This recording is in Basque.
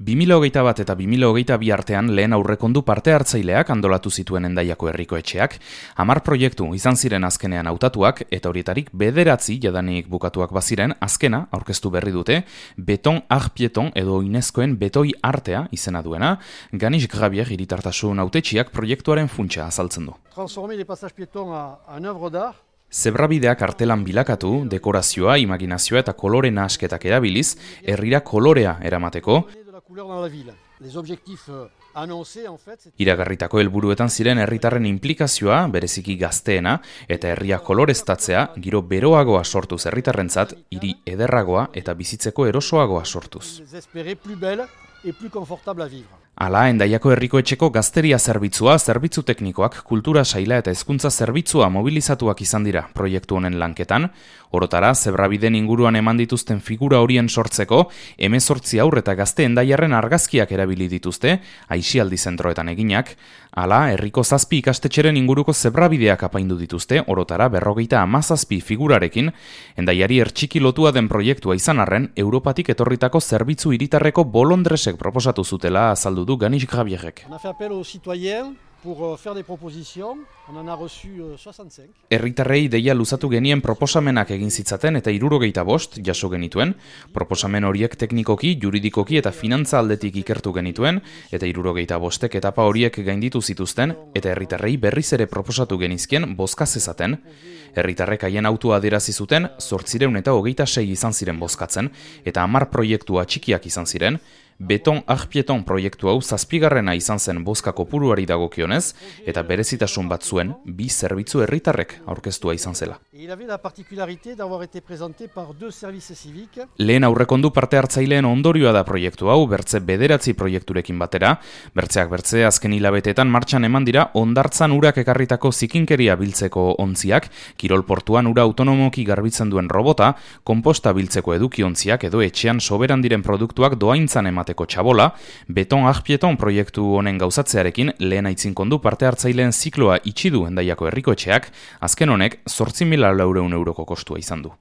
2021 eta 2022 artean lehen aurrekondu parte hartzaileak antolatu zituen Hendaiako herriko etxeak, 10 proiektu izan ziren azkenean hautatuak eta horietarik 9 jadanik bukatuak baziren azkena aurkeztu berri dute Beton Arpieton edo Inezkoen betoi artea izena duena, Ganis Gravier hiritartasun hautetsiak proiektuaren funtsa azaltzen du. Transformer les passages piétons en œuvre d'art. Zebrabideak artelan bilakatu, dekorazioa, imaginazioa eta kolore nahasketak erabiliz, herrira kolorea eramateko, iragarritako helburuetan ziren herritarren inplikazioa, bereziki gazteena, eta herria koloreztatzea, giro beroagoa sortuz herritarrentzat, hiri ederragoa eta bizitzeko erosoagoa sortuz. Hala, Hendaiako herriko etxeko gazteria zerbitzua, zerbitzu teknikoak, kultura saila eta hezkuntza zerbitzua mobilizatuak izan dira proiektu honen lanketan. Orotara, zebrabiden inguruan eman dituzten figura horien sortzeko, 18 haur eta gazte Hendaiarren argazkiak erabili dituzte, aisialdi zentroetan eginak. Hala, herriko 7 ikastetxeren inguruko zebrabideak apaindu dituzte, orotara 57 figurarekin, Hendaiari ertxiki lotua den proiektua izan arren, Europatik etorritako zerbitzu hiritarreko bolondresek proposatu zutela azaldu du Ganis Gravierrek. On a fait appel aux citoyens pour faire des propositions. On en a reçu 65. Herritarrei deia luzatu genien proposamenak egin zitzaten eta 75 jaso genituen. Proposamen horiek teknikoki, juridikoki eta finantza aldetik ikertu genituen eta 75 etapa horiek gainditu zituzten eta herritarrei berriz ere proposatu genizkien bozka zezaten. Herritarrek haien autua adierazi zuten 826 izan ziren bozkatzen eta 10 proiektua txikiak izan ziren. Beton Arpieton proiektu hau 7garrena izan zen bozka kopuruari dagokionez eta berezitasun bat zuen 2 zerbitzu herritarrek aurkeztua izan zela. Lehen aurrekondu parte hartzaileen ondorioa da proiektu hau, bertze 9 proiekturekin batera. Bertzeak bertze azken hilabeteetan martxan eman dira hondartzan urak ekarritako zikinkeria biltzeko ontziak, kirolportuan ura autonomoki garbitzen duen robota, konposta biltzeko edukiontziak edo etxean soberan diren produktuak doaintzan emateko txabola. Beton Arpieton proiektu honen gauzatzearekin lehen aitzinkondu parte hartzaileen zikloa itxi du Hendaiako herriko etxeak, azken honek 8.400 euroko kostua izan du.